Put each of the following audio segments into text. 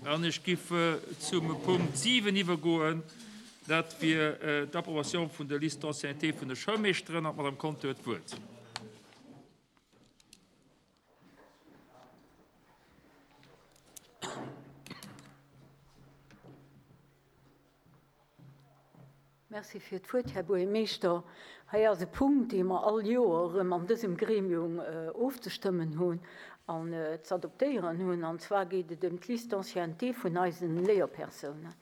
An ech giff zum Punkt 7 iwwergoen, dat wier d'Approbation vun der Liste d'ancienneté vun de Schoulmeeschteren. An d'Madame Conter huet d'Wuert. Merci fir d'Wuert, Här Buergermeeschter. Hei ass e Punkt, dee mer all Joer erëm an dësem Gremium ofzestëmmen hunn an z'adoptéieren hunn. An zwar geet et ëm d'Liste d'ancienneté vun eisen Léierpersounen.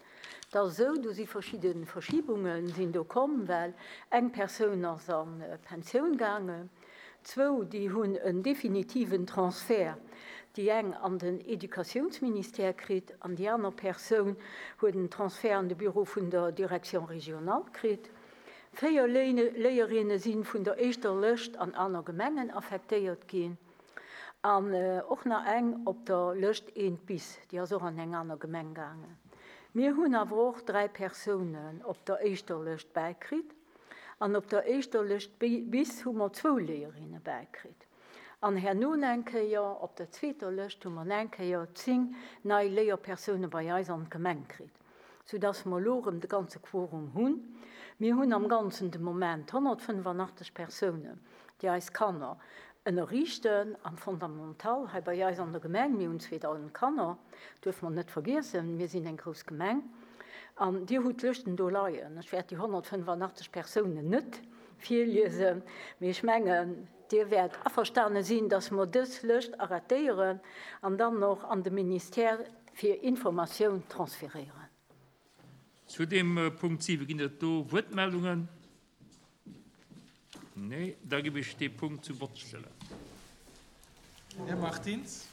Et ass esou, do si verschidde Verschibunge sinn do komm, well eng Persoun ass a Pensioun gaangen. Zwou, déi hunn en definitiven Transfert, déi eng an den Educatiounsministère kritt an déi aner Persoun huet en Transfert an de Büro vun der Direction régionale kritt. Véier Léierinne si vun der éischter Lëscht an aner Gemengen affektéiert ginn an och nach eng op der Lëscht eent bis, déi ass och an eng aner Gemeng gaangen. Mir hunn awer och dräi Persounen op der éischter Lëscht bäikritt. An op der éischter Lëscht bis hu mer zwou Léierinne bäikritt. An herno eng Kéier op der zweeter Lëscht hu mer eng Kéier 10 nei Léierpersoune bei eis an d'Gemeng kritt, soudass mer elo erëm de ganze Quorum hunn. Mir hunn am Ganzen de Moment 185 Persounen, déi eis Kanner ënnerriichten am Fondamental hei bei eis an der Gemeng. Mir hunn 2.000 Kanner, duerfe mer net vergiessen. Mir sinn eng grouss Gemeng. An Dir hutt d'Lëschten do leien. Ech wäert déi 185 Persounen net virliesen, mee ech mengen, Dir wäert averstane sinn, dass mer dës Lëscht arrêtéieren an dann och an de Ministère fir Informatioun transferéieren. Zu deem Punkt 7 ginn et do Wuertmeldungen? Nee, da ginn ech dee Punkt zum Vott stellen. Den Här Martins.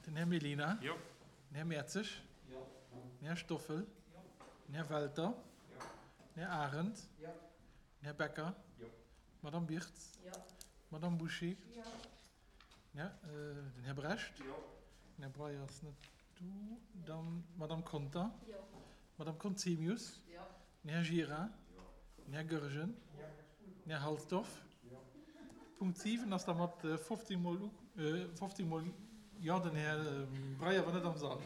Den Här Mellina. Den Här Mertzig. Den Här Stoffel. Den Här Welter. Den Här Arendt. Den Här Becker. D'Madame Birtz. D'Madame Bouché. Den Här Brecht. Den Här Breyer ass net do. Dann d'Madame Conter. D'Madame Conzemius. Den Här Gira. Den Här Goergen. Den Här Halsdorf. Punkt 7 ass da mat 15 mol 15 mol Jo. Den Här Breyer war net am Sall.